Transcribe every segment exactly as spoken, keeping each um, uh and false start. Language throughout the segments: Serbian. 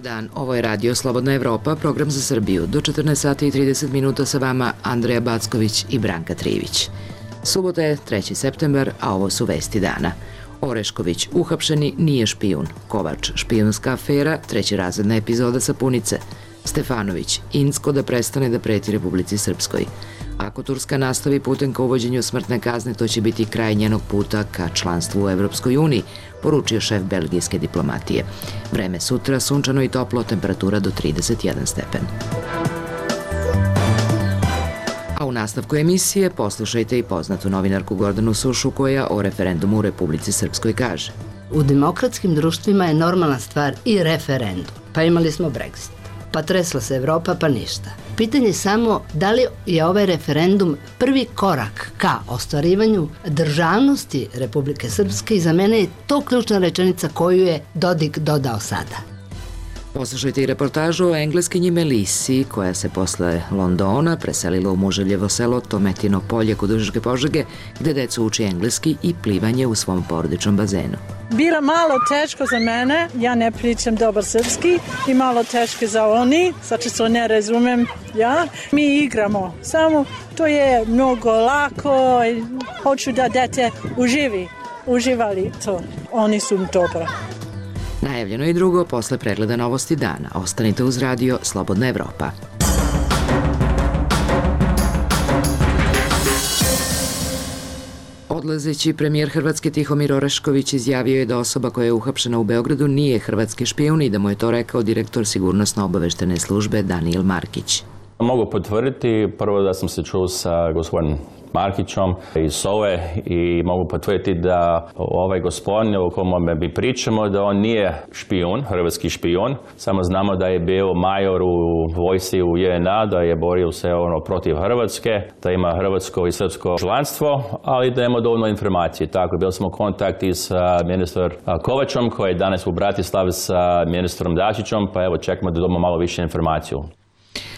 dan, ovo je Radio Slobodna Evropa, program za Srbiju. Do četrnaest sati i trideset minuta sa vama Andreja Backović i Branka Trivić. Subota je treći septembar, a ovo su vesti dana. Orešković uhapšeni nije špijun. Kovač špijunska afera, trećerazredna epizoda Sapunice. Stefanović, Incko da prestane da preti Republici Srpskoj. Ako Turska nastavi putem ka uvođenju smrtne kazne, to će biti kraj njenog puta ka članstvu u Evropskoj uniji, poručio šef belgijske diplomatije. Vreme sutra, sunčano i toplo, temperatura do trideset jedan stepen. A u nastavku emisije poslušajte i poznatu novinarku Gordanu Sušu koja o referendumu u Republici Srpskoj kaže. U demokratskim društvima je normalna stvar i referendum. Pa imali smo Brexit. Pa tresla se Evropa, pa ništa. Pitanje je samo da li je ovaj referendum prvi korak ka ostvarivanju državnosti Republike Srpske i za mene je to ključna rečenica koju je Dodik dodao sada. Poslušajte i reportažu o engleskinji Melisi, koja se posle Londona preselila u Muževljevo selo Tometino polje kod Užičke Požege, gde decu uči engleski i plivanje u svom porodičnom bazenu. Bilo malo teško za mene, ja ne pričam dobar srpski i malo teško za oni, zato što ne razumem ja. Mi igramo, samo to je mnogo lako i hoću da dete uživi, uživali to, oni su dobro. Najavljeno i drugo posle pregleda novosti dana. Ostanite uz Radio Slobodna Evropa. Odlazeći premijer Hrvatske Tihomir Orešković izjavio je da osoba koja je uhapšena u Beogradu nije hrvatski špijun i da mu je to rekao direktor sigurnosno-obaveštene službe Danijel Markić. Mogu potvrditi prvo da sam se čuo sa gospodinom Markićom iz S O E i mogu potvrditi da ovaj gospodin o kome mi pričamo da on nije špijun, hrvatski špijun. Samo znamo da je bio major u vojsci u J N A, da je borio se ono protiv Hrvatske, da ima hrvatsko i srpsko članstvo, ali da ima dovoljno informacije. Tako, bili smo u kontakti sa ministrom Kovačom koji je danas u Bratislavi sa ministrom Dačićom, pa evo čekamo da dobimo malo više informaciju.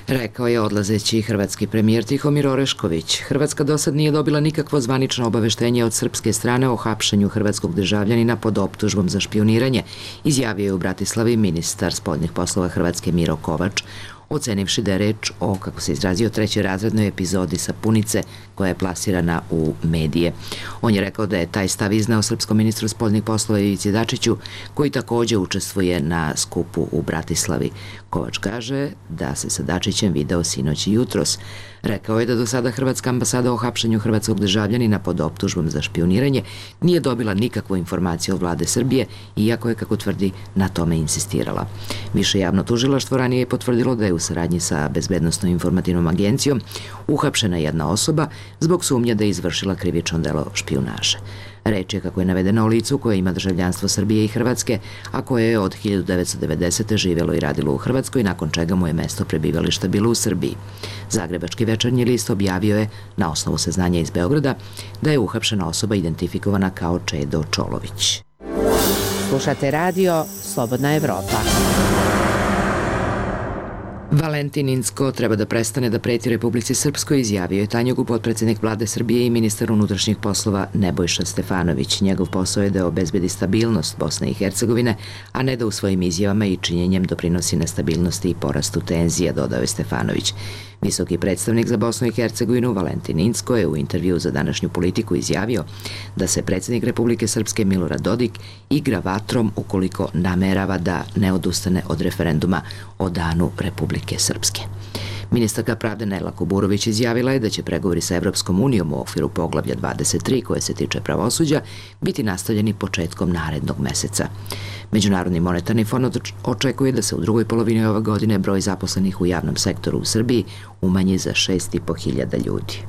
Rekao je odlazeći hrvatski premijer Tihomir Orešković. Hrvatska do sad nije dobila nikakvo zvanično obaveštenje od srpske strane o hapšenju hrvatskog državljanina pod optužbom za špijuniranje, izjavio je u Bratislavi ministar spoljnih poslova Hrvatske Miro Kovač, ocenivši da je reč o, kako se izrazio, trećerazrednoj epizodi Sapunice koja je plasirana u medije. On je rekao da je taj stav iznao srpskom ministru spoljnih poslova Ivici Dačiću, koji također učestvuje na skupu u Bratislavi. Kovač kaže da se sa Dačićem video sinoć i jutros. Rekao je da do sada Hrvatska ambasada o hapšenju hrvatskog državljanina pod optužbom za špijuniranje nije dobila nikakvu informaciju od vlade Srbije, iako je, kako tvrdi, na tome insistirala. Više javno tužilaštvo ranije je potvrdilo da je u saradnji sa Bezbednosno informativnom agencijom uhapšena jedna osoba zbog sumnje da je izvršila krivično delo špijunaže. Reč je, kako je navedeno, o licu koje ima državljanstvo Srbije i Hrvatske, a koje je od hiljadu devetsto devedesete. živjelo i radilo u Hrvatskoj, nakon čega mu je mesto prebivališta bilo u Srbiji. Zagrebački večernji list objavio je, na osnovu saznanja iz Beograda, da je uhapšena osoba identifikovana kao Čedo Čolović. Slušate Radio Slobodna Evropa. Valentin Incko treba da prestane da preti Republici Srpskoj, izjavio je Tanjugu potpredsjednik vlade Srbije i ministar unutrašnjih poslova Nebojša Stefanović. Njegov posao je da obezbedi stabilnost Bosne i Hercegovine, a ne da u svojim izjavama i činjenjem doprinosi nestabilnosti i porastu tenzija, dodao je Stefanović. Visoki predstavnik za Bosnu i Hercegovinu Valentin Incko je u intervju za današnju Politiku izjavio da se predsjednik Republike Srpske Milorad Dodik igra vatrom ukoliko namerava da ne odustane od referenduma o danu Republike Srpske. Ministarka pravde Nela Kuburović izjavila je da će pregovori sa Evropskom unijom u okviru poglavlja dvadeset tri koje se tiče pravosuđa biti nastavljeni početkom narednog meseca. Međunarodni monetarni fond očekuje da se u drugoj polovini ove godine broj zaposlenih u javnom sektoru u Srbiji umanji za šest i po hiljada ljudi.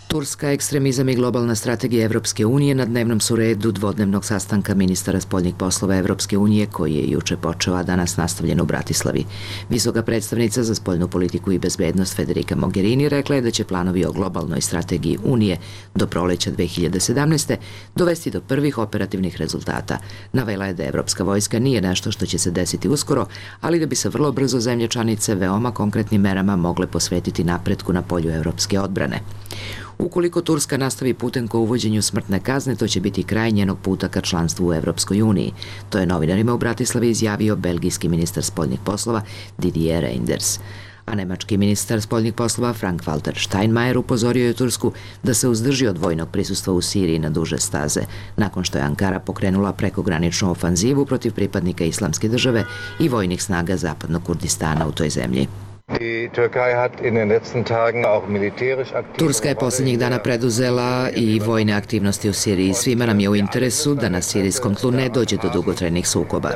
Turska, ekstremizam i globalna strategija Evropske unije na dnevnom su redu dvodnevnog sastanka ministara spoljnih poslova Evropske unije koji je juče počeo, a danas nastavljen u Bratislavi. Visoka predstavnica za spoljnu politiku i bezbednost Federica Mogherini rekla je da će planovi o globalnoj strategiji Unije do proleća dve hiljade sedamnaeste. dovesti do prvih operativnih rezultata. Navela je da Evropska vojska nije nešto što će se desiti uskoro, ali da bi se vrlo brzo zemlje članice veoma konkretnim merama mogle posvetiti napretku na polju evropske odbrane. Ukoliko Turska nastavi putem ka uvođenju smrtne kazne, to će biti kraj njenog puta ka članstvu u Evropskoj uniji. To je novinarima u Bratislavi izjavio belgijski ministar spoljnih poslova Didier Reynders. A nemački ministar spoljnih poslova Frank-Walter Steinmeier upozorio je Tursku da se uzdrži od vojnog prisustva u Siriji na duže staze, nakon što je Ankara pokrenula prekograničnu ofanzivu protiv pripadnika Islamske države i vojnih snaga zapadnog Kurdistana u toj zemlji. Turska je posljednjih dana preduzela i vojne aktivnosti u Siriji. Svima nam je u interesu da na sirijskom tlu ne dođe do dugotrajnih sukoba.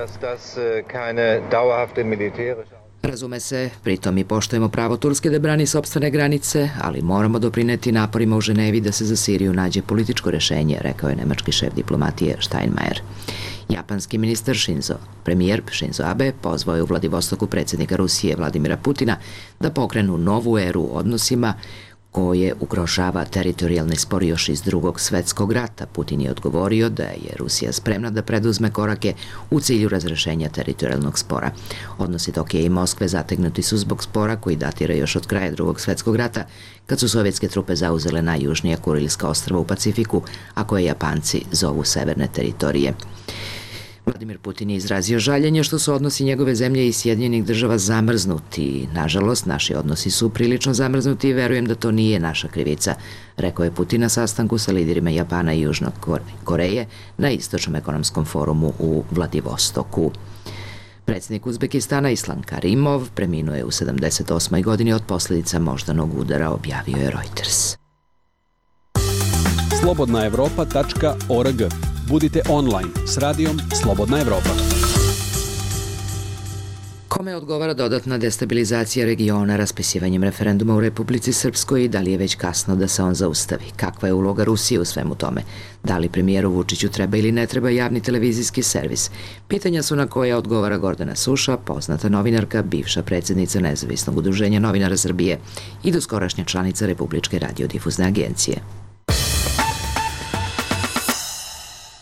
Razume se, pritom i poštujemo pravo Turske da brani sopstvene granice, ali moramo doprineti naporima u Ženevi da se za Siriju nađe političko rešenje, rekao je nemački šef diplomatije Steinmeier. Japanski ministar Shinzo, premijer Shinzo Abe, pozvao je u Vladivostoku predsjednika Rusije Vladimira Putina da pokrenu novu eru u odnosima koje ugrožava teritorijalni spor još iz drugog svetskog rata. Putin je odgovorio da je Rusija spremna da preduzme korake u cilju razrešenja teritorijalnog spora. Odnosi Tokija i Moskve zategnuti su zbog spora koji datira još od kraja drugog svetskog rata, kad su sovjetske trupe zauzele najjužnija Kurilska ostrva u Pacifiku, a koje Japanci zovu severne teritorije. Vladimir Putin je izrazio žaljenje što su odnosi njegove zemlje i Sjedinjenih država zamrznuti. Nažalost, naši odnosi su prilično zamrznuti i verujem da to nije naša krivica, rekao je Putin na sastanku sa liderima Japana i Južnog Koreje na Istočnom ekonomskom forumu u Vladivostoku. Predsjednik Uzbekistana Islam Karimov preminuo je u sedamdeset osmoj godini od posljedica moždanog udara, objavio je Reuters. slobodna evropa tačka org. Budite online s radijom Slobodna Evropa. Kome odgovara dodatna destabilizacija regiona raspisivanjem referenduma u Republici Srpskoj i da li je već kasno da se on zaustavi? Kakva je uloga Rusije u svemu tome? Da li premijeru Vučiću treba ili ne treba javni televizijski servis? Pitanja su na koja odgovara Gordana Suša, poznata novinarka, bivša predsjednica Nezavisnog udruženja novinara Srbije i doskorašnja članica Republičke radiodifuzne agencije.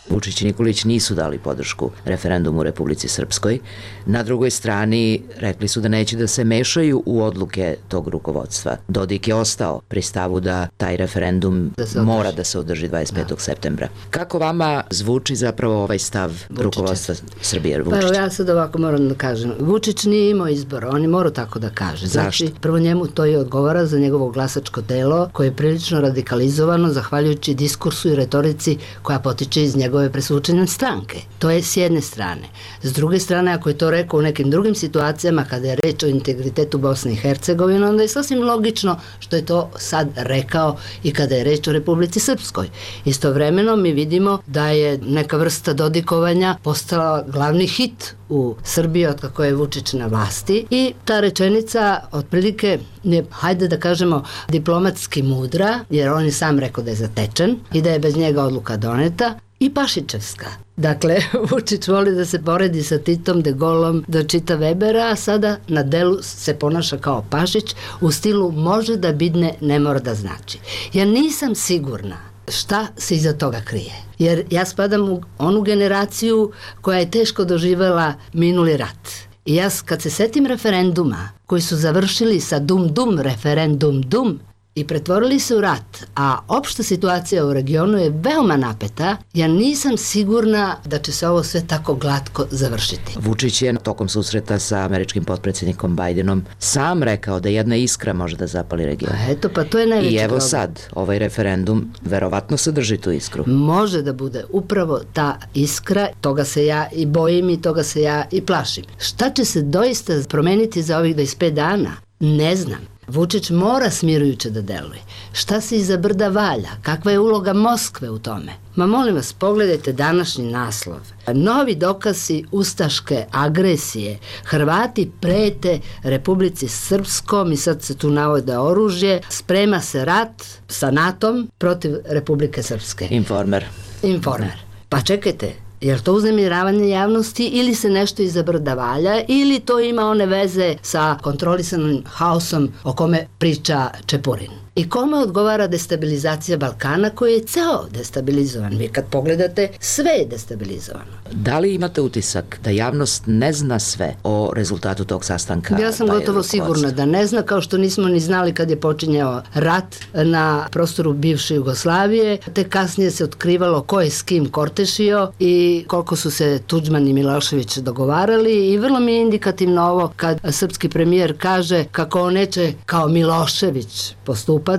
Vučić i Nikolić nisu dali podršku referendumu u Republici Srpskoj. Na drugoj strani rekli su da neće da se mešaju u odluke tog rukovodstva. Dodik je ostao pri stavu da taj referendum da mora da se održi dvadeset petog Da. septembra. Kako vama zvuči zapravo ovaj stav Vučića. Rukovodstva Srbije? Pa evo, ja sad ovako moram da kažem. Vučić nije imao izbora, on je morao tako da kaže. Znači, Zašto? Prvo njemu to je odgovara za njegovo glasačko telo koje je prilično radikalizovano zahvaljujući diskursu i retorici koja potiče iz njegove presvučene stranke. To je s jedne strane. S druge strane, ako je to rekao u nekim drugim situacijama kada je reč o integritetu Bosne i Hercegovine, onda je sasvim logično što je to sad rekao i kada je reč o Republici Srpskoj. Istovremeno mi vidimo da je neka vrsta dodikovanja postala glavni hit u Srbiji od kako je Vučić na vlasti i ta rečenica otprilike je, hajde da kažemo, diplomatski mudra, jer on je sam rekao da je zatečen i da je bez njega odluka doneta, i Pašićevska. Dakle, Vučić voli da se poredi sa Titom, De Gaulom, da čita Webera, a sada na delu se ponaša kao Pašić u stilu može da bidne, ne mora da znači. Ja nisam sigurna šta se iza toga krije. Jer ja spadam u onu generaciju koja je teško doživela minuli rat. I ja kad se setim referenduma koji su završili sa dum dum referendum dum i pretvorili se u rat, a opšta situacija u regionu je veoma napeta, ja nisam sigurna da će se ovo sve tako glatko završiti. Vučić je tokom susreta sa američkim potpredsjednikom Bidenom sam rekao da jedna iskra može da zapali region. A eto, pa to je najveći problem. I evo sad, ovaj referendum verovatno sadrži tu iskru. Može da bude upravo ta iskra, toga se ja i bojim i toga se ja i plašim. Šta će se doista promeniti za ovih dvadeset pet dana? Ne znam. Vučić mora smirujuće da deluje. Šta se iza brda valja? Kakva je uloga Moskve u tome? Ma molim vas, pogledajte današnji naslov. Novi dokazi ustaške agresije. Hrvati prete Republici Srpskom i sad se tu navode oružje. Sprema se rat sa natom protiv Republike Srpske. Informer. Informer. Pa čekajte, je li to uznemiravanje javnosti ili se nešto iza brda valja ili to ima one veze sa kontrolisanim haosom o kome priča Čepurin? I kome odgovara destabilizacija Balkana koji je ceo destabilizovan? Vi kad pogledate, sve je destabilizovano. Da li imate utisak da javnost ne zna sve o rezultatu tog sastanka? Ja sam gotovo sigurna da ne zna, kao što nismo ni znali kad je počinjao rat na prostoru bivše Jugoslavije, te kasnije se otkrivalo ko je s kim kortešio i koliko su se Tuđman i Milošević dogovarali i vrlo mi je indikativno ovo kad srpski premijer kaže kako on neće kao Milošević postupati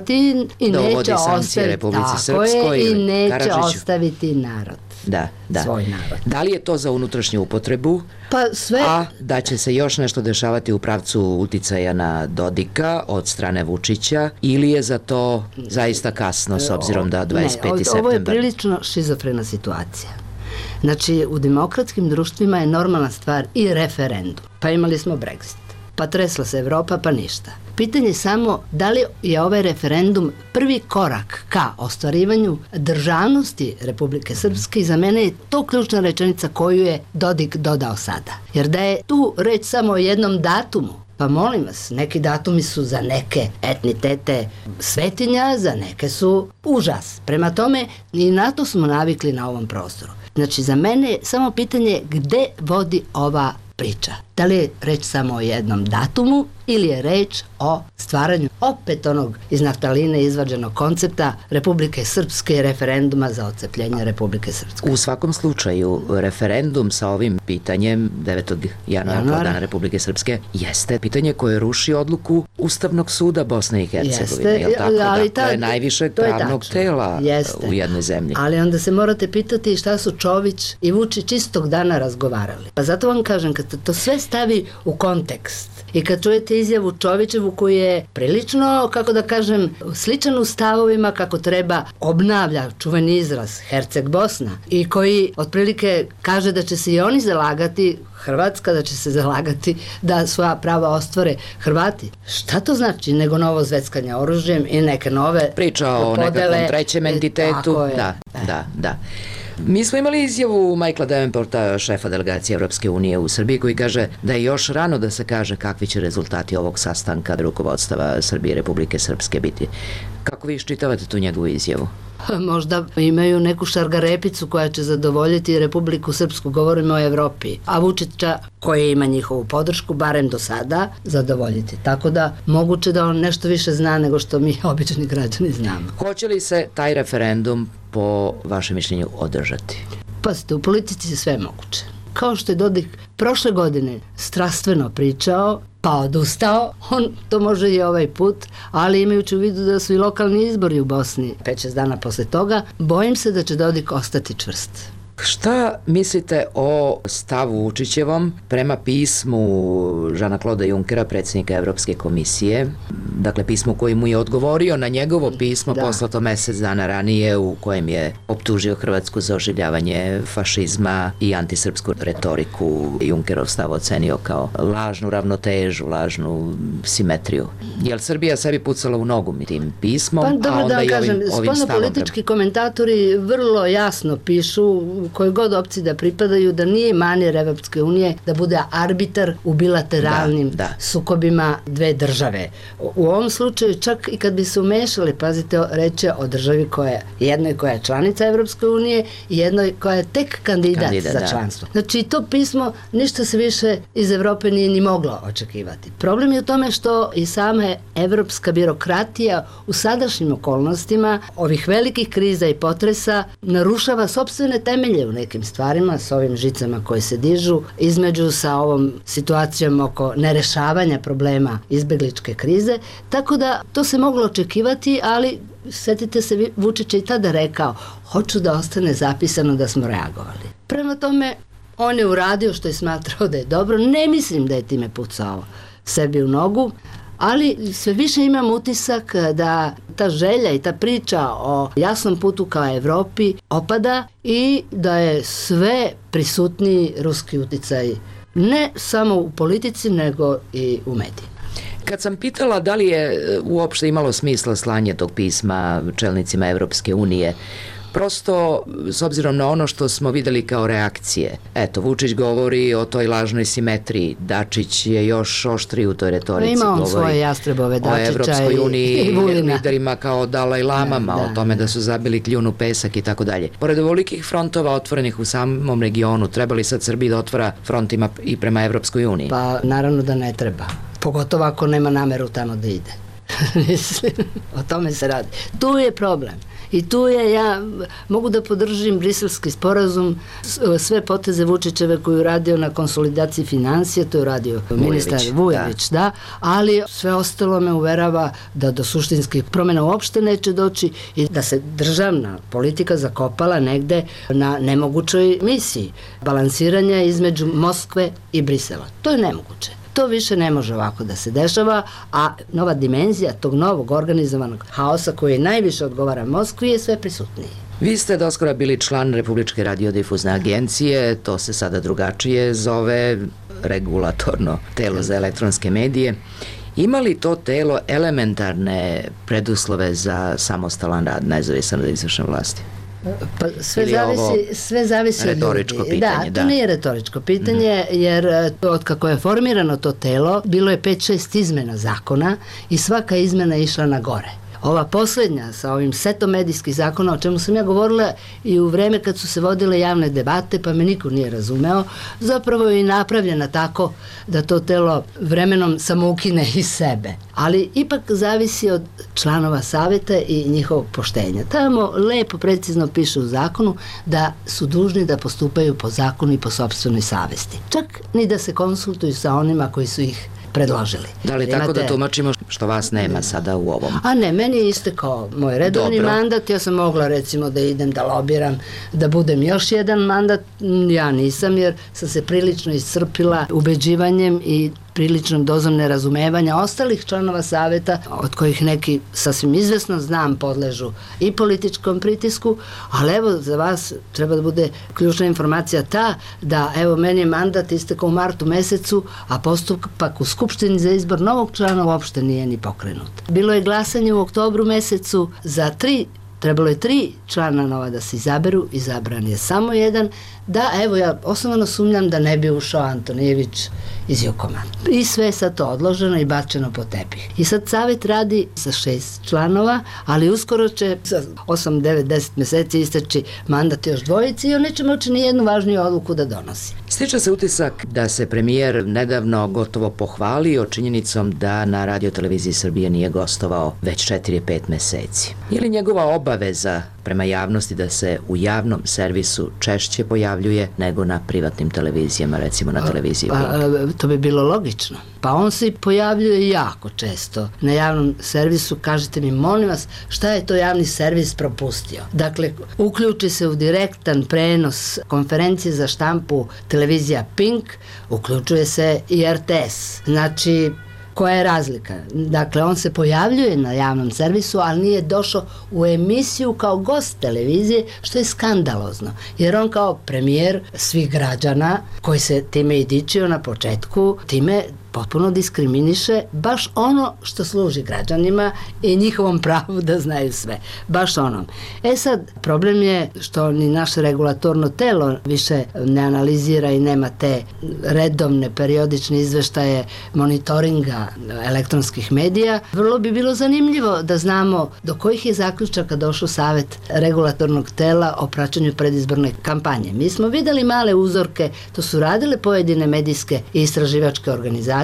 i da neće ostaviti, tako je, i neće Karadžiću. ostaviti narod. Da, da. Svoj narod. Da li je to za unutrašnju upotrebu? Pa sve... A da će se još nešto dešavati u pravcu uticaja na Dodika od strane Vučića ili je za to zaista kasno s obzirom da dvadeset peti septembar? Ovo je prilično šizofrena situacija. Znači, u demokratskim društvima je normalna stvar i referendum. Pa imali smo Brexit. Pa tresla se Evropa, pa ništa. Pitanje je samo da li je ovaj referendum prvi korak ka ostvarivanju državnosti Republike Srpske i za mene je to ključna rečenica koju je Dodik dodao sada. Jer da je tu reč samo o jednom datumu, pa molim vas, neki datumi su za neke etnitete svetinja, za neke su užas. Prema tome, i na to smo navikli na ovom prostoru. Znači, za mene je samo pitanje gde vodi ova priča. Da li je reč samo o jednom datumu ili je reč o stvaranju opet onog iz naftaline izvađenog koncepta Republike Srpske i referenduma za odcepljenje Republike Srpske. U svakom slučaju, referendum sa ovim pitanjem devetog januara kao Dana Republike Srpske jeste pitanje koje ruši odluku Ustavnog suda Bosne i Hercegovine. Jeste, je tako? ali dakle, ta, najvišeg to je pravnog tačno. tela Jeste. u jednoj zemlji. Ali onda se morate pitati šta su Čović i Vučić istog dana razgovarali. Pa zato vam kažem, kad to sve stavi u kontekst i kad čujete izjavu Čovićevu koji je prilično, kako da kažem, sličan u stavovima kako treba obnavlja čuveni izraz Herceg Bosna i koji otprilike kaže da će se i oni zalagati, Hrvatska da će se zalagati da svoja prava ostvare Hrvati. Šta to znači nego novo zveckanje oružjem i neke nove priča o podele, nekakvom trećem entitetu. Da, da, da. Mi smo imali izjavu Michaela Davenporta, šefa delegacije Evropske unije u Srbiji, koji kaže da je još rano da se kaže kakvi će rezultati ovog sastanka rukovodstava Srbije i Republike Srpske biti. Kako vi iščitavate tu njegovu izjavu? Možda imaju neku šargarepicu koja će zadovoljiti Republiku Srpsku, govorimo o Evropi, a Vučića koji ima njihovu podršku, barem do sada, zadovoljiti. Tako da moguće da on nešto više zna nego što mi obični građani znamo. Hoće li se taj referendum po vašem mišljenju održati? Pazite, u politici je sve moguće. Kao što je Dodik prošle godine strastveno pričao, pa odustao, on to može i ovaj put, ali imajući u vidu da su i lokalni izbori u Bosni pet šest dana posle toga, bojim se da će Dodik ostati čvrst. Šta mislite o stavu Vučićevom prema pismu Žana Kloda Junkera, predsjednika Evropske komisije, dakle pismu koji mu je odgovorio na njegovo pismo da. Poslato mesec dana ranije u kojem je optužio Hrvatsku za oživljavanje fašizma i antisrpsku retoriku. Junkerov stav ocenio kao lažnu ravnotežu, lažnu simetriju. Je li Srbija sebi pucala u nogu tim pismom, pa, a onda da i kažem, ovim, ovim stavom? Politički komentatori vrlo jasno pišu koje god opcije da pripadaju, da nije manir Evropske unije da bude arbitar u bilateralnim da, da. sukobima dve države. U ovom slučaju čak i kad bi se umešali, pazite, reče o državi koja je jednoj koja je članica Evropske unije i jednoj koja je tek kandidat, kandidat za da. članstvo. Znači to pismo ništa se više iz Evrope nije ni moglo očekivati. Problem je u tome što i sama evropska birokratija u sadašnjim okolnostima ovih velikih kriza i potresa narušava sopstvene temelje u nekim stvarima, s ovim žicama koje se dižu, između sa ovom situacijom oko nerešavanja problema izbegličke krize, tako da to se moglo očekivati, ali setite se, Vučić je i tada rekao, hoću da ostane zapisano da smo reagovali. Prema tome, on je uradio što je smatrao da je dobro, ne mislim da je time pucao sebi u nogu, ali sve više imam utisak da ta želja i ta priča o jasnom putu ka Evropi opada i da je sve prisutniji ruski uticaj ne samo u politici nego i u medijima. Kad sam pitala da li je uopšte imalo smisla slanje tog pisma čelnicima Evropske unije, Prosto, s obzirom na ono što smo videli kao reakcije, eto, Vučić govori o toj lažnoj simetriji, Dačić je još oštriji u toj retorici, ima on govori svoje jastrebove, Dačića o Evropskoj uniji, i Vulina. liderima kao Dalaj Lamama, Da, o da, tome da. da su zabili kljun u pesak i tako dalje. Pored ovolikih frontova otvorenih u samom regionu, treba li sad Srbiji da otvara frontima i prema Evropskoj uniji? Pa naravno da ne treba. Pogotovo ako nema nameru tamo da ide. Mislim, o tome se radi. Tu je problem. I tu je, ja mogu da podržim briselski sporazum, sve poteze Vučićeve koju je radio na konsolidaciji financija, to je radio ministar Vujović, da. da, ali sve ostalo me uverava da do suštinskih promjena uopšte neće doći i da se državna politika zakopala negde na nemogućoj misiji balansiranja između Moskve i Brisela. To je nemoguće. To više ne može ovako da se dešava, a nova dimenzija tog novog organizovanog haosa koji najviše odgovara Moskvi je sve prisutniji. Vi ste doskora bili član Republičke radiodifuzne agencije, to se sada drugačije zove, regulatorno telo za elektronske medije. Ima li to telo elementarne preduslove za samostalan rad, nezavisan od izvršne vlasti? Pa sve zavisi, sve zavisi od retoričko ljudi. pitanje, da, to da. nije retoričko pitanje, mm. jer od kako je formirano to telo, bilo je pet šest izmena zakona i svaka izmena je išla na gore. Ova posljednja sa ovim setom medijskih zakona, o čemu sam ja govorila i u vreme kad su se vodile javne debate, pa me niko nije razumeo, zapravo je i napravljena tako da to telo vremenom samoukine iz sebe. Ali ipak zavisi od članova savjeta i njihovog poštenja. Tamo lepo, precizno piše u zakonu da su dužni da postupaju po zakonu i po sopstvenoj savesti. Čak ni da se konsultuju sa onima koji su ih predložili. Da li tako da tumačimo što vas nema sada u ovom? A ne, meni je istekao moj redovni Dobro. mandat, ja sam mogla recimo da idem da lobiram, da budem još jedan mandat, ja nisam jer sam se prilično iscrpila ubeđivanjem i priličnom dozom nerazumevanja ostalih članova savjeta, od kojih neki sasvim izvesno znam podležu i političkom pritisku, ali evo za vas treba da bude ključna informacija ta da evo meni je mandat istekao u martu mesecu, a postupak u Skupštini za izbor novog člana uopšte nije ni pokrenut. Bilo je glasanje u oktobru mesecu za tri, trebalo je tri člana nova da se izaberu, izabran je samo jedan, da evo ja osnovano sumnjam da ne bi ušao Antonijević iz Jukoma. I sve je sad to odloženo i bačeno po tepih. I sad savjet radi sa šest članova, ali uskoro će za osam, devet, deset meseci isteći mandat još dvojici i on neće moći ni jednu važniju odluku da donosi. Stiče se utisak da se premijer nedavno gotovo pohvalio činjenicom da na radioteleviziji Srbije nije gostovao već četiri pet meseci. Je li njegova obaveza prema javnosti da se u javnom servisu češće pojavljuje nego na privatnim televizijama, recimo na televiziji? Pa, to bi bilo logično. Pa on se pojavljuje jako često na javnom servisu. Kažite mi, molim vas, šta je to javni servis propustio? Dakle, uključi se u direktan prenos konferencije za štampu televizija Pink, uključuje se i R T S. Znači, koja je razlika? Dakle, on se pojavljuje na javnom servisu, ali nije došao u emisiju kao gost televizije, što je skandalozno. Jer on kao premijer svih građana, koji se time i dičio na početku, time potpuno diskriminiše baš ono što služi građanima i njihovom pravu da znaju sve. Baš onom. E sad, problem je što ni naše regulatorno telo više ne analizira i nema te redovne periodične izveštaje monitoringa elektronskih medija. Vrlo bi bilo zanimljivo da znamo do kojih je zaključaka došao savjet regulatornog tela o praćenju predizborne kampanje. Mi smo videli male uzorke, to su radile pojedine medijske i istraživačke organizacije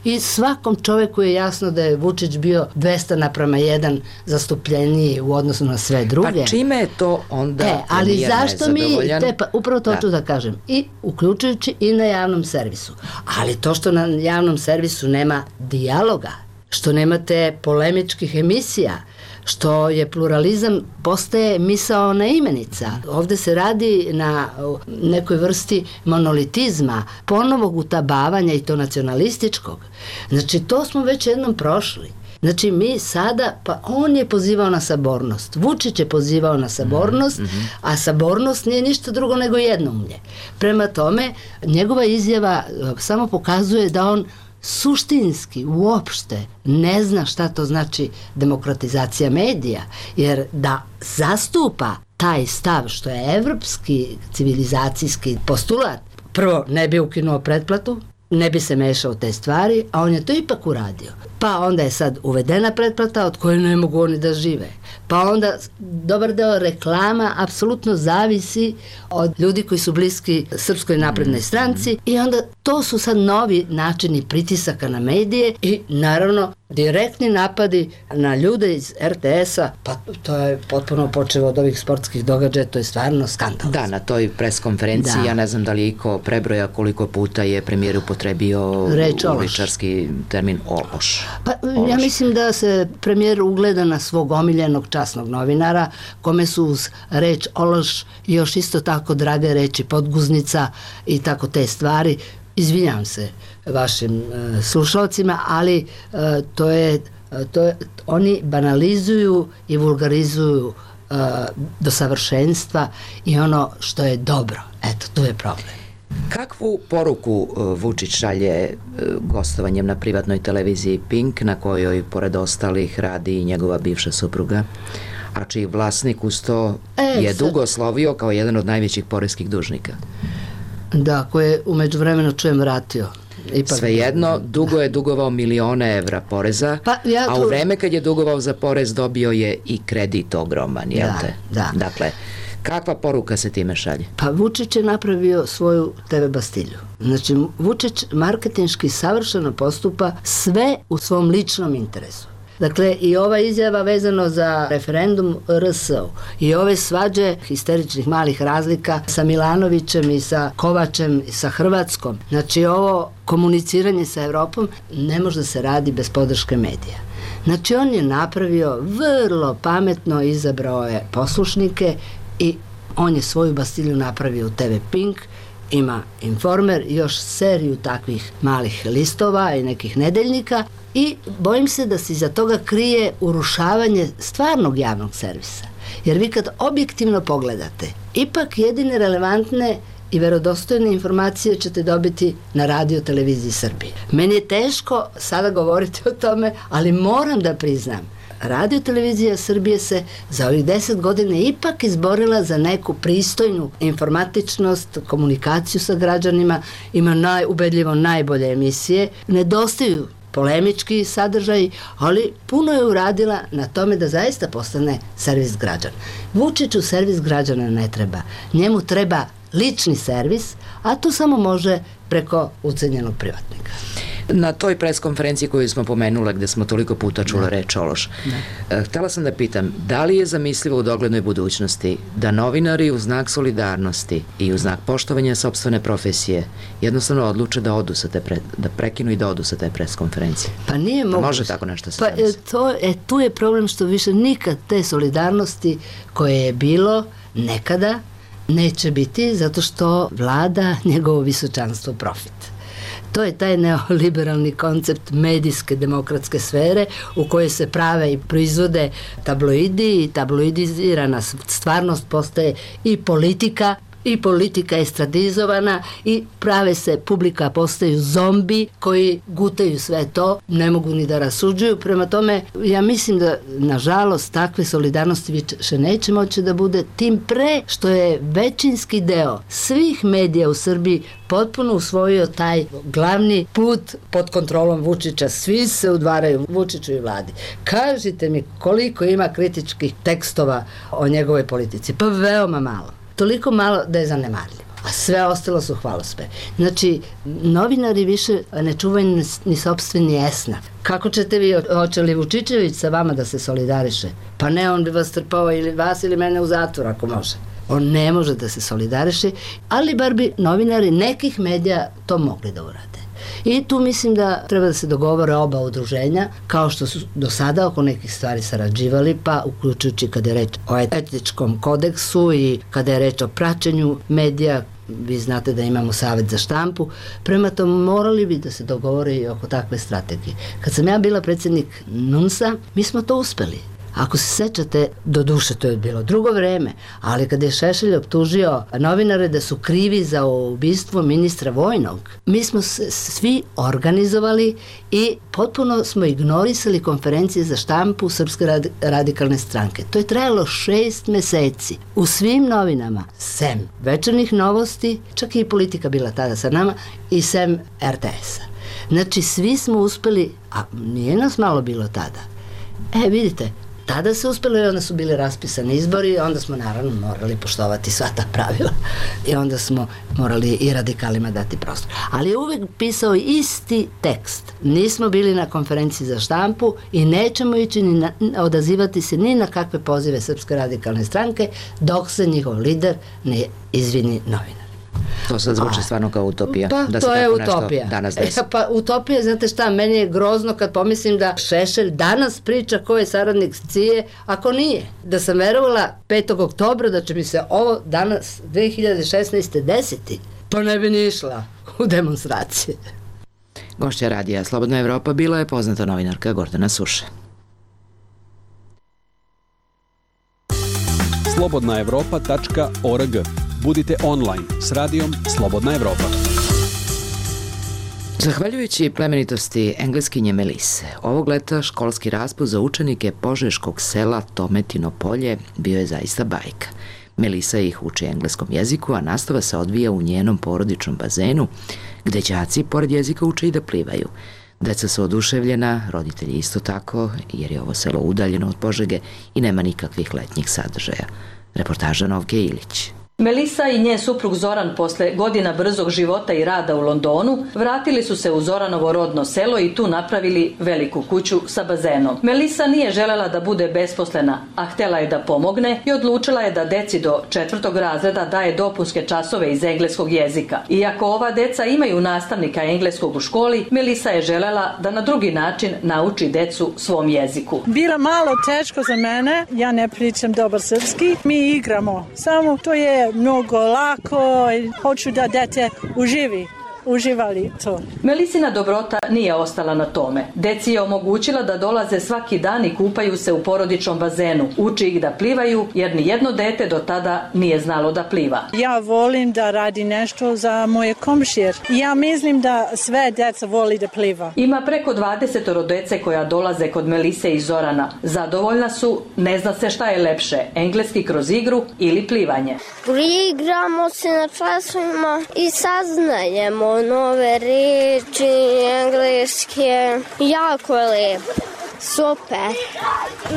i svakom čoveku je jasno da je Vučić bio dvesta naprama jedan zastupljeniji u odnosu na sve druge. Pa čime je to onda e, ali premijer zašto mi, nezadovoljan? te, pa, upravo to Da. ću da kažem, i uključujući i na javnom servisu. Ali to što na javnom servisu nema dijaloga, što nemate polemičkih emisija, što je pluralizam postaje misaona imenica. Ovde se radi na nekoj vrsti monolitizma, ponovog utabavanja i to nacionalističkog. Znači, to smo već jednom prošli. Znači, mi sada, pa on je pozivao na sabornost. Vučić je pozivao na sabornost, mm-hmm. a sabornost nije ništa drugo nego jednoumlje. Prema tome, njegova izjava samo pokazuje da on suštinski uopšte ne zna šta to znači demokratizacija medija, jer da zastupa taj stav što je evropski civilizacijski postulat, prvo ne bi ukinuo pretplatu, ne bi se mešao u te stvari, a on je to ipak uradio. Pa onda je sad uvedena pretplata od koje ne mogu oni da žive. Pa onda dobar deo reklama apsolutno zavisi od ljudi koji su bliski Srpskoj naprednoj stranci i onda to su sad novi načini pritisaka na medije i naravno direktni napadi na ljude iz er te es-a, pa to je potpuno počelo od ovih sportskih događaja, to je stvarno skandal. Da, na toj preskonferenciji, Da. ja ne znam da li iko prebroja koliko puta je premijer upotrebio Reč ološ. uličarski termin ološ. Pa ja mislim da se premijer ugleda na svog omiljenog časnog novinara, kome su uz reč ološ još isto tako drage reči podguznica i tako te stvari. Izvinjam se vašim uh, slušalcima, ali uh, to je, uh, to je, oni banalizuju i vulgarizuju uh, do savršenstva i ono što je dobro. Eto, tu je problem. Kakvu poruku uh, Vučić šalje uh, gostovanjem na privatnoj televiziji Pink, na kojoj pored ostalih radi i njegova bivša supruga, a čiji vlasnik uz to E, je sad- dugo slovio kao jedan od najvećih poreskih dužnika? Da, koje je umeđu vremenu čujem vratio. Ipak, Svejedno, dugo je dugovao milione evra poreza, Pa, ja a tu- u vreme kad je dugovao za porez dobio je i kredit ogroman, jel Da, te? da. Dakle, kakva poruka se time šalje? Pa Vučić je napravio svoju te ve bastilju. Znači, Vučić marketinški savršeno postupa sve u svom ličnom interesu. Dakle, i ova izjava vezano za referendum er es u i ove svađe histeričnih malih razlika sa Milanovićem i sa Kovačem i sa Hrvatskom. Znači, ovo komuniciranje sa Evropom ne može da se radi bez podrške medija. Znači, on je napravio vrlo pametno, izabrao je poslušnike i on je svoju bastilju napravio u te ve Pink, ima Informer i još seriju takvih malih listova i nekih nedeljnika i bojim se da se iza toga krije urušavanje stvarnog javnog servisa. Jer vi kad objektivno pogledate, ipak jedine relevantne i verodostojne informacije ćete dobiti na radio televiziji Srbije. Meni je teško sada govoriti o tome, ali moram da priznam, Radio televizija Srbije se za ovih deset godina ipak izborila za neku pristojnu informatičnost, komunikaciju sa građanima, ima najubedljivo najbolje emisije, nedostaju polemički sadržaj, ali puno je uradila na tome da zaista postane servis građana. Vučiću servis građana ne treba, njemu treba lični servis, a to samo može preko ucenjenog privatnika. Na toj preskonferenciji koju smo pomenule, gde smo toliko puta čula reč ološ, eh, htela sam da pitam, da li je zamislivo u doglednoj budućnosti da novinari u znak solidarnosti i u znak poštovanja sopstvene profesije jednostavno odluče da odu sa te pre, da prekinu i da odu sa te preskonferencije? Pa nije moguće. može tako nešto se Pa e, zamisli? to, e, tu je problem što više nikad te solidarnosti koje je bilo nekada neće biti zato što vlada njegovo visočanstvo profit. To je taj neoliberalni koncept medijske demokratske sfere u kojoj se prave i proizvode tabloidi i tabloidizirana stvarnost postaje i politika i politika je estradizovana i prave se, publika postaju zombi koji gutaju sve to, ne mogu ni da rasuđuju. Prema tome, ja mislim da, nažalost, takve solidarnosti više neće moći da bude, tim pre što je većinski deo svih medija u Srbiji potpuno usvojio taj glavni put pod kontrolom Vučića. Svi se udvaraju Vučiću i vladi. Kažite mi koliko ima kritičkih tekstova o njegovoj politici? Pa veoma malo. Toliko malo da je zanemarljivo. A sve ostalo su hvalospe. Znači, novinari više ne čuvaju ni, ni sopstveni esnaf. Kako ćete vi, hoće li Vučićević sa vama da se solidariše? Pa ne, on bi vas trpao ili vas ili mene u zatvor ako može. On ne može da se solidariše, ali bar bi novinari nekih medija to mogli da urade. I tu mislim da treba da se dogovore oba udruženja, kao što su do sada oko nekih stvari sarađivali, pa uključujući kada je reč o etičkom kodeksu i kada je reč o praćenju medija, vi znate da imamo Savet za štampu, prema tomu morali bi da se dogovore i oko takve strategije. Kad sam ja bila predsjednik NUNS-a, mi smo to uspeli. Ako se sećate, do duše to je bilo drugo vreme, ali kada je Šešelj optužio novinare da su krivi za ubistvo ministra vojnog, mi smo se svi organizovali i potpuno smo ignorisali konferencije za štampu Srpske radikalne stranke. To je trajalo šest meseci. U svim novinama, sem Večernjih novosti, čak i Politika bila tada sa nama, i sem er te esa. Znači, svi smo uspeli, a nije nas malo bilo tada. E, vidite, tada se uspelo i onda su bili raspisani izbori, onda smo naravno morali poštovati sva ta pravila i onda smo morali i radikalima dati prostor. Ali je uvek pisao isti tekst. Nismo bili na konferenciji za štampu i nećemo ići ni na, odazivati se ni na kakve pozive Srpske radikalne stranke dok se njihov lider ne izvini novinar. To sad zvuči stvarno kao utopija. Pa, da se to je tako utopija. Danas desi. E, pa utopija, znate šta, meni je grozno kad pomislim da Šešelj danas priča ko je saradnik Cije, ako nije. Da sam verovala petog oktobra da će mi se ovo danas, dve hiljade šesnaeste. desiti, pa ne bi ni išla u demonstracije. Gošća radija Slobodna Evropa bila je poznata novinarka Gordana Suše. slobodna evropa tačka org. Budite online s radijom Slobodna Evropa. Zahvaljujući plemenitosti engleskinje Melise, ovog leta školski raspust za učenike požeškog sela Tometino polje bio je zaista bajka. Melisa ih uči engleskom jeziku, a nastava se odvija u njenom porodičnom bazenu, gde đaci pored jezika uče i da plivaju. Deca su oduševljena, roditelji isto tako, jer je ovo selo udaljeno od Požege i nema nikakvih letnjih sadržaja. Reportaža Novke Ilić. Melisa i njen suprug Zoran posle godina brzog života i rada u Londonu vratili su se u Zoranovo rodno selo i tu napravili veliku kuću sa bazenom. Melisa nije želela da bude besposlena, a htela je da pomogne i odlučila je da deci do četvrtog razreda daje dopunske časove iz engleskog jezika. Iako ova deca imaju nastavnika engleskog u školi, Melisa je želela da na drugi način nauči decu svom jeziku. Bilo malo teško za mene, ja ne pričam dobar srpski, mi igramo, samo to je mnogo lako i hoću da dete uživi. Uživali to. Melisina dobrota nije ostala na tome. Deci je omogućila da dolaze svaki dan i kupaju se u porodičnom bazenu. Uči ih da plivaju, jer ni jedno dete do tada nije znalo da pliva. Ja volim da radi nešto za moje komšije. Ja mislim da sve deca voli da pliva. Ima preko dvadeset dece koja dolaze kod Melise i Zorana. Zadovoljna su, ne zna se šta je lepše, engleski kroz igru ili plivanje. Igramo se na časovima i saznajemo nove reči, engleske, jako je lijepo. Super.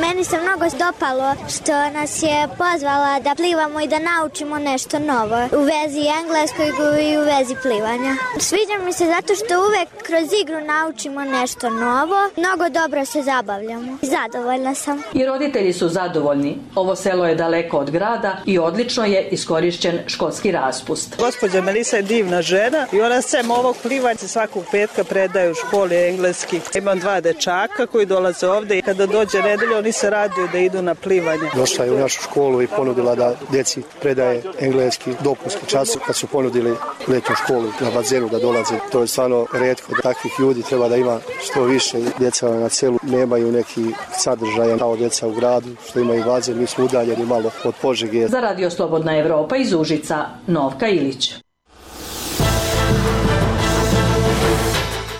Meni se mnogo dopalo što nas je pozvala da plivamo i da naučimo nešto novo u vezi engleskog i u vezi plivanja. Sviđa mi se zato što uvek kroz igru naučimo nešto novo. Mnogo dobro se zabavljamo. Zadovoljna sam. I roditelji su zadovoljni. Ovo selo je daleko od grada i odlično je iskorišćen školski raspust. Gospođa Melisa je divna žena i ona sem ovog plivanja svakog petka predaje u školi engleski. Imam dva dečaka koji dolaze ovde i kada dođe nedelja oni se raduju da idu na plivanje. Došla je u našu školu i ponudila da djeci predaje engleski dopunski čas kad su ponudili letnju školu na bazenu da dolaze. To je stvarno retko. Takvih ljudi treba da ima što više. Djeca na selu nemaju neki sadržaj kao djeca u gradu što imaju bazen. Mi smo udaljeni malo od Požege. Za Radio Slobodna Evropa iz Užica, Novka Ilić.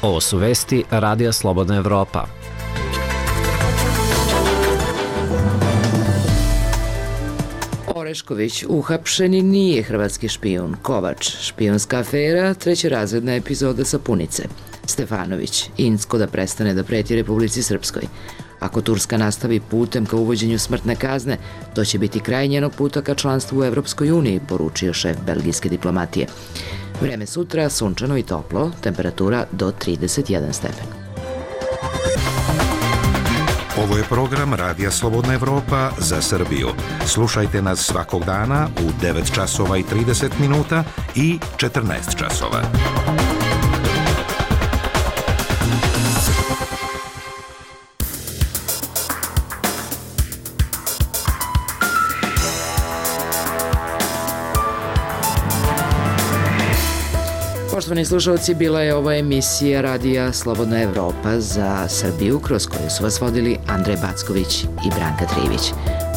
Ovo su vesti Radija Slobodna Evropa. Orešković uhapšeni nije hrvatski špijun. Kovač, špijunska afera, trećerazredna epizoda Sapunice. Stefanović, Incko da prestane da preti Republici Srpskoj. Ako Turska nastavi putem ka uvođenju smrtne kazne, to će biti kraj njenog puta ka članstvu u Evropskoj uniji, poručio šef belgijske diplomatije. Vreme sutra, sunčano i toplo, temperatura do trideset jedan stepen. Ovo je program Radija Slobodna Evropa za Srbiju. Slušajte nas svakog dana u devet časova i trideset minuta i četrnaest časova. Poštovani slušalci, bila je ovo emisija Radija Slobodna Evropa za Srbiju, kroz koju su vas vodili Andrej Backović i Branka Trivić.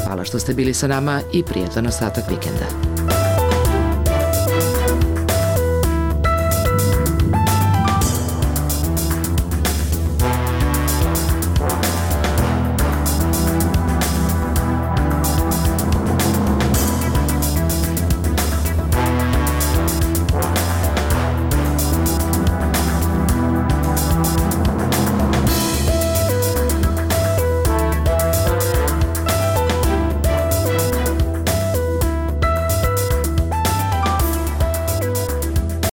Hvala što ste bili sa nama i prijatan ostatak vikenda.